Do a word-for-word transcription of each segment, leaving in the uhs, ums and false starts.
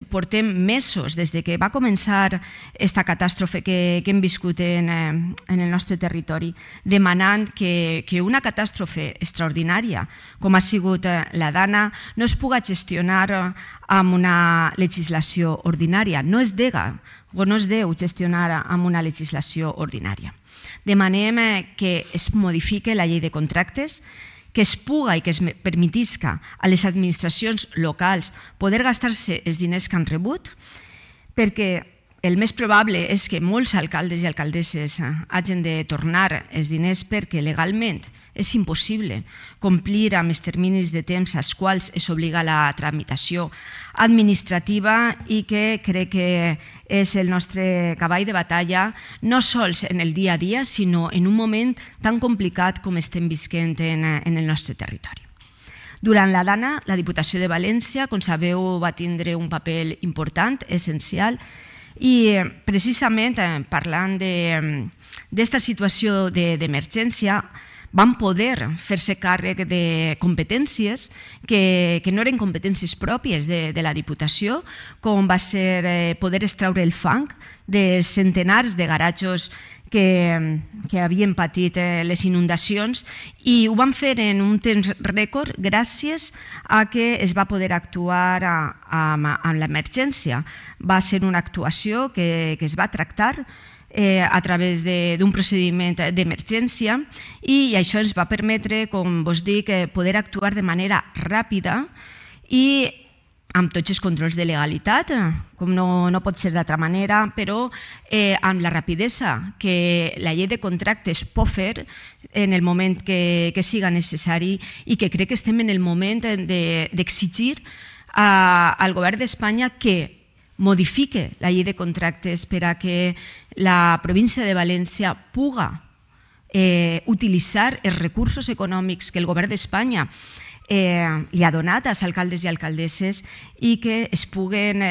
portem mesos, des que va començar aquesta catàstrofe que hem viscut en el nostre territori, demanant que una catàstrofe extraordinària, com ha sigut la Dana, no es pugui gestionar amb una legislació ordinària. No es dega o no es deu gestionar amb una legislació ordinària. Demanem que es modifique la llei de contractes, que es puga i que es permetisca a les administracions locals poder gastar-se els diners que han rebut, perquè el més probable és que molts alcaldes i alcaldesses hagin de tornar els diners perquè legalment és impossible complir amb els terminis de temps als quals es obliga la tramitació administrativa i que crec que és el nostre cavall de batalla no sols en el dia a dia, sinó en un moment tan complicat com estem visquent en el nostre territori. Durant la Dana, la Diputació de València, com sabeu, va tindre un paper important, essencial, i precisament parlant d'esta situació d'emergència van poder fer-se càrrec de competències que no eren competències pròpies de la Diputació, com va ser poder extraure el fang de centenars de garatjos que havien patit les inundacions, i ho van fer en un temps rècord gràcies a que es va poder actuar amb l'emergència. Va ser una actuació que es va tractar a través d'un procediment d'emergència i això ens va permetre, com vos dic, poder actuar de manera ràpida i amb tots els controls de legalitat, com no pot ser d'altra manera, però amb la rapidesa que la llei de contractes pot fer en el moment que siga necessari, i que crec que estem en el moment d'exigir al govern d'Espanya que modifique la llei de contractes per a que la província de València puga utilitzar els recursos econòmics que el govern d'Espanya li ha donat als alcaldes i alcaldesses i que es puguen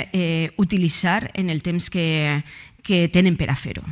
utilitzar en el temps que tenen per a fer-ho.